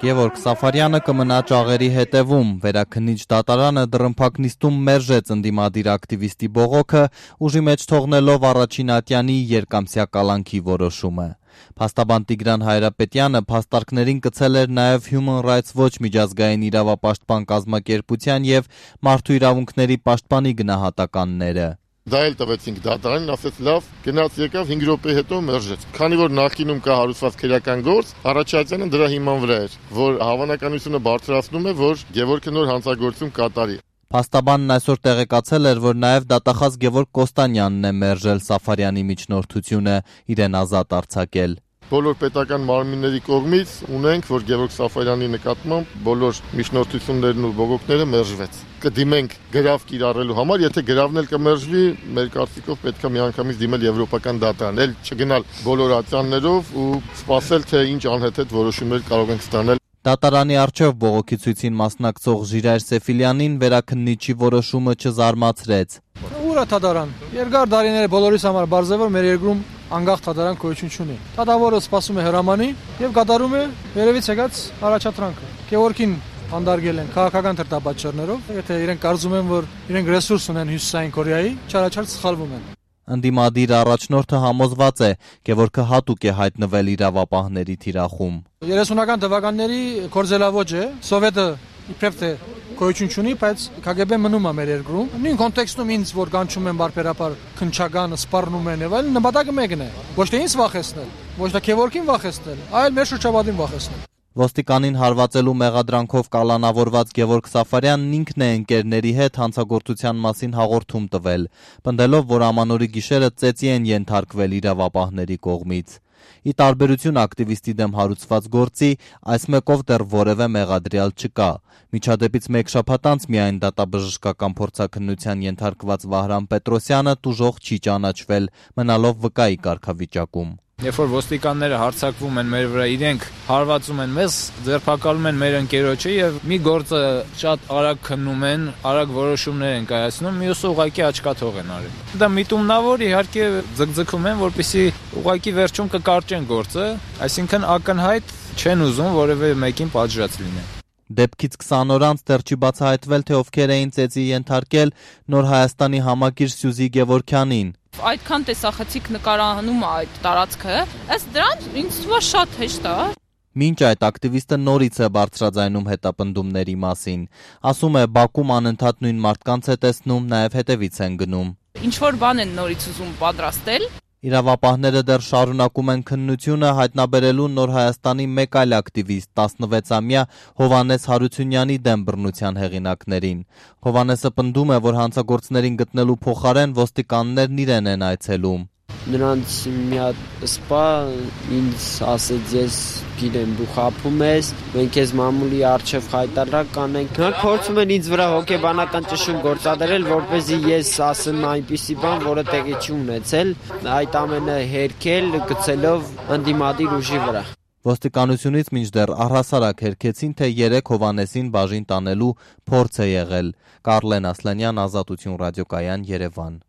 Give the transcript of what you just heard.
Գևորգ Սաֆարյանը կմնա ճաղերի հետևում, վերաքննիչ դատարանը դռնփակ նիստում մերժեց ընդդիմադիր ակտիվիստի բողոքը, ուժի մեջ թողնելով առաջին ատյանի երկամսյա կալանքի որոշումը։ Փաստաբան Տիգրան Հայրապետյանը փաստարկներին կցել էր նաև Human Rights Watch միջազգային իրավապաշտպան կազմակերպության եւ Մարդու իրավունքների պաշտպանի գնահատականները։ Դա էլ տվեցինք դատարանին, ասեց լավ, գնաց եկավ 5 րոպե հետո մերժեց։ Քանի որ նախկինում կա հարուցված քրեական գործ, առաջացանը դրա հիման վրա էր, որ հավանականությունը բարձրացնում է, որ Գևորգը նոր հանցագործում կատարի։ Փաստաբանն այսօր տեղեկացել էր, որ նաև դատախազ Գևորգ Կոստանյանն է մերժել Սաֆարյանի միջնորդությունը, իրեն ազատ արձակել։ Բոլոր պետական մարմինների կողմից ունենք, որ Գևորգ Սաֆարյանի նկատմամբ բոլոր միջնորդություններն ու բողոքները մերժվեց։ Կդիմենք գրավ կիրառելու համար, եթե գրավն էլ կմերժվի, մեր կարծիքով պետք է միանգամից դիմել եվրոպական դատարան, էլ չգնալ բոլոր ատյաններով ու սպասել, թե ինչ անհեթեթ որոշումներ կարող ենք ստանալ։ Դատարանի առջև բողոքի ցույցին մասնակցող Ժիրայր Սեֆիլյանին վերաքննիչի որոշումը չզարմացրեց։ Ուր է դատարան։ Երկար տարիներ բոլորիս համար բարձր է, որ մեր երկրում անկախ դատարան գոյություն չունի։ Դատավորը սպասում է հրամանի եւ կատարում է երևից եկած առաջադրանքը։ Գևորգին հանդարգել են քաղաքական թրտաբաճարներով, եթե իրենք կարծում են, որ իրենք ռեսուրս ունեն Հյուսիսային Կորեայի, չարաչար սխալվում են։ Ընդդիմադիր առաջնորդը համոզված է, Գևորգը հատուկ է հայտնվել իրավապահների թիրախում։ 30-ական թվականների կորզելավոճ է, սովետը իբրև թե գոյություն չունի, բայց KGB մնում է մեր երկրում։ Նույն կոնտեքստում ինձ որ կանչում են բարբերաբար քնչական, սպառնում են եւ այլն, նպատակը մեկն է։ Ոչ թե ինձ վախեցնել, ոչ թե Գևորգին վախեցնել, այլ մեր շրջապատին վախեցնել։ Ոստիկանին հարվածելու մեղադրանքով կալանավորված Գևորգ Սաֆարյանն ինքն է ընկերների հետ հանցագործության մասին հաղորդում տվել, պնդելով, որ ամանորի գիշերը ծեծի են ենթարկվել իրավապահների կողմից։ Ի տարբերություն ակտիվիստի դեմ հարուցված գործի, այս մեկով դեռ որևէ մեղադրյալ չկա։ Միջադեպից մեկ շաբաթ անց միայն դատաբժշկական փորձաքննության ենթարկված Վահրամ Պետրոսյանը տուժող չի ճանաչվել, մնալով վկայի կարգավիճակում։ Երբ որ ոստիկանները հարձակվում են մեր վրա, իրենք հարվածում են մեզ, ձերբակալում են մեր ընկերոջը եւ մի գործը շատ արագ քննում են, արագ որոշումներ են կայացնում, մյուսը ուղղակի աչքաթող են արել։ Դա միտումնավոր իհարկե ձգձգում են, որպեսզի ուղղակի վերջում կկարճեն գործը, այսինքն ակնհայտ չեն ուզում որևէ մեկին պատժած լինել։ Դեպքից 20 օր անց դեռ չի բացահայտվել, թե ովքեր էին ծեծի ենթարկել Նոր Հայաստանի համակիր Սյուզի Գևորգյանին։ Այդքան տեսախցիկ նկարահանում է այդ տարածքը, ըստ դրան ինձ թվում է շատ հեշտ է։ Մինչ այդ ակտիվիստը նորից է բարձրաձայնում հետապնդումների մասին։ Ասում է, Բաքում անընդհատ նույն մարդկանց է տեսնում, նաև հետևից են գնում։ Ինչ որ բան են նորից ուզում պատրաստել։ Իրավապահները դեռ շարունակում են քննությունը, հայտնաբերելու Նոր Հայաստանի մեկ այլ ակտիվիստ, 16-ամյա Հովհաննես Հարությունյանի դեմ բռնության հեղինակներին։ Հովհաննեսը պնդում է, որ հանցագործներին գտնելու փոխարեն ոստիկաններն իրեն են այցելում։ Նրանց մի հատ սպա ինձ ասեց, ես գիտեմ դու խաբում ես, մենք ես մամուլի առջև հայտարարակ կանենք։ Նրանք փորձում են ինձ վրա հոգեբանական ճնշում գործադրել, որպեսզի ես ասեմ այնպիսի բան, որը տեղի չի ունեցել, այդ ամենը հերքել գցելով ընդդիմադիր ուժի վրա։ Ոստիկանությունից մինչդեռ առհասարակ հերքեցին, թե 3 Հովհաննեսին բաժին տանելու փորձ է եղել։ Կարլեն Ասլանյան, Ազատություն ռադիոկայան, Երևան։